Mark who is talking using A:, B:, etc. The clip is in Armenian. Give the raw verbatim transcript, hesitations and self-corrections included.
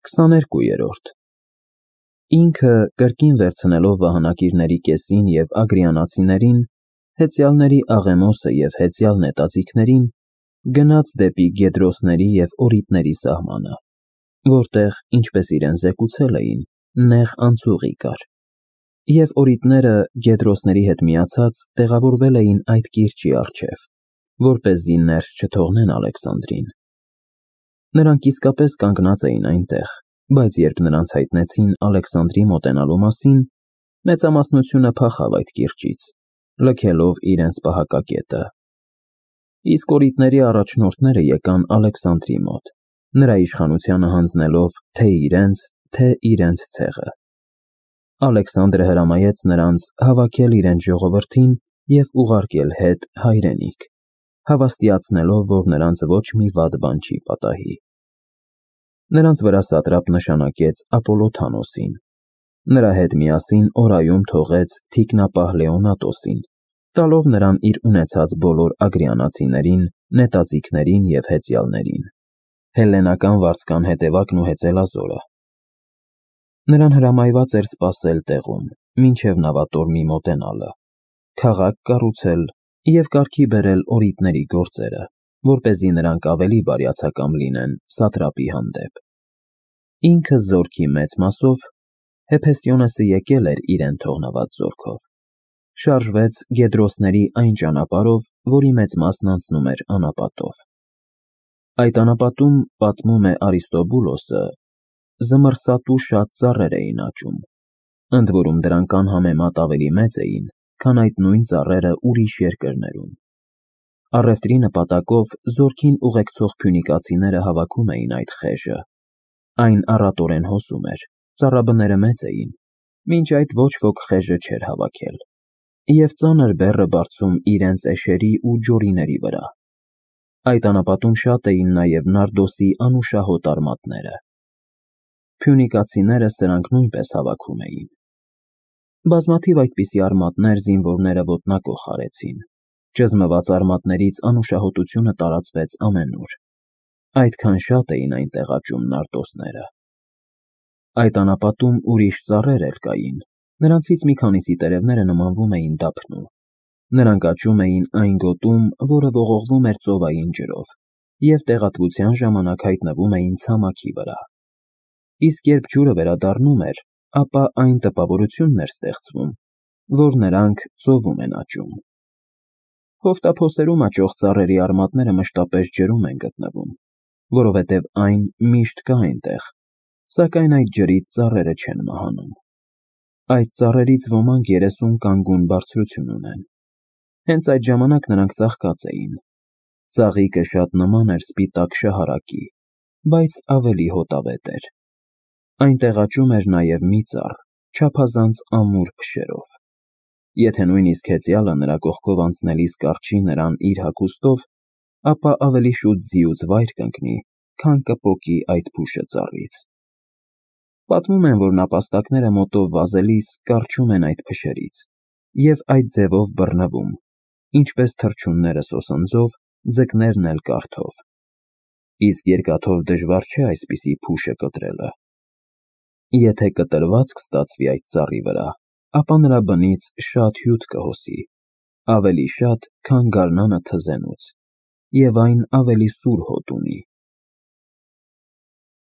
A: քսաներկուերորդ Ինքը, կրկին վերցնելով վահանակիրների կեսին և ագրիանացիներին, հեծյալների Աղեմոսը և հեծյալ նետաձիգներին, գնաց դեպի Գեդրոսների և Օրիտների սահմանը, որտեղ, ինչպես իրեն զեկուցել էին, նեղ անցուղի կար, և Օրիտները, Գեդրոսների հետ միացած, տեղավորվել էին այդ կիրճի առջև, որպեսզի ներս չթողնեն Ալեքսանդրին։ Նրանք իսկապես կանգնած էին այնտեղ, բայց երբ նրանց հայտնեցին Ալեքսանդրի մոտենալու մասին, մեծամասնությունը փախավ այդ կիրճից, լքելով իրենց պահակակետը։ Իսկ Օրիտների առաջնորդները եկան Ալեքսանդրի մոտ, նրա իշխանությանը հանձնելով թե իրենց, թե իրենց ցեղը։ Ալեքսանդրը հրամայեց նրանց հավաքել իրենց ժողովրդին և ուղարկել հետ հայրենիք, հավաստիացնելով, որ նրանց ոչ մի վատ բան չի պատահի։ Նրանց վրա սատրապ նշանակեց Ապոլոթանոսին, նրա հետ միասին օրայում թողեց թիկնապահ Լեոնատոսին, տալով նրան իր ունեցած բոլոր ագրիանացիներին, նետաձիգներին և հեծյալներին, հելլենական վարձկան հետևակն ու հեծելազորը։ Նրան հրամայված էր սպասել տեղում, մինչև նավատորմի մոտենալը, քաղաք կառուցել և կարգի բերել Օրիտների գործերը, որպեսզի նրանք ավելի բարյացակամ լինեն սատրապի հանդեպ։ Ինքը զորքի մեծ մասով (Հեփեստիոնեսը եկել էր իրեն թողնված զորքով) շարժվեց Գեդրոսների այն ճանապարհով, որի մեծ մասն անցնում էր անապատով։ Այդ անապատում, պատմում է Արիստոբուլոսը, զմռսատու շատ ծառեր էին աճում, ընդ որում դրանք անհամեմատ ավելի մեծ էին, քան այդ նույն ծառերը ուրիշ երկրներում։ Առևտրի նպատակով զորքին ուղեկցող փյունիկացիները հավաքում էին այդ խեժը։ Այն առատորեն հոսում էր, ծառաբները մեծ էին, մինչ այդ ոչ ոք խեժը չէր հավաքել, և ծանր բեռը բարձում իրենց էշերի ու ջորիների վրա։ Այդ անապատում շատ էին նաև նարդոսի անուշահոտ արմատները։ Փյունիկացիները սրանք նույնպես հավաքում էին։ Բազմաթիվ այդպիսի արմատներ զինվորները ոտնակոխ արեցին։ Ճզմված արմատներից անուշահոտությունը տարածվեց ամենուր, այդքան շատ էին այնտեղ աճում նարդոսները։ Այդ անապատում ուրիշ ծառեր էլ կային, նրանցից մի քանիսի տերևները նմանվում էին դափնու։ Նրանք աճում էին այն գոտում, որը ողողվում էր ծովային ջրով, և տեղատվության ժամանակ հայտնվում էին ցամաքի վրա։ Իսկ երբ ջուրը վերադառնում էր, ապա այն տպավորությունն էր ստեղծվում, որ նրանք ծովում են աճում։ Հովտափոսերում աճող ծառերի արմատները մշտապես ջրում են գտնվում, որովհետև այն միշտ կա այնտեղ, սակայն այդ ջրից ծառերը չեն մահանում։ Այդ ծառերից ոմանք երեսուն կանգուն բարձրություն ունեն։ Հենց այդ ժամանակ նրանք ծաղկած էին։ Ծաղիկը շատ նման էր սպիտակ շահարակի, բայց ավելի հոտավետ էր։ Այնտեղ աճում էր նաև մի ծառ, չափազանց ամուր փշերով։ Եթե նույնիսկ հեծյալը նրա կողքով անցնելիս կառչի նրան իր հագուստով, ապա ավելի շուտ ձիուց վայր կընկնի, քան կպոկի այդ փուշը ծառից։ Պատմում են, որ նապաստակները մոտով վազելիս կառչում են այդ փշերից և այդ ձևով բռնվում, ինչպես թռչունները սոսնձով, ձկներն էլ կարթով։ Իսկ երկաթով դժվար չէ այսպիսի փուշը կտրելը։ Եթե կտրվածք ստացվի այդ ծառի վրա, ապա նրա բնից շատ հյութ կհոսի, ավելի շատ, քան գարնանը թզենուց, և այն ավելի սուր հոտ ունի։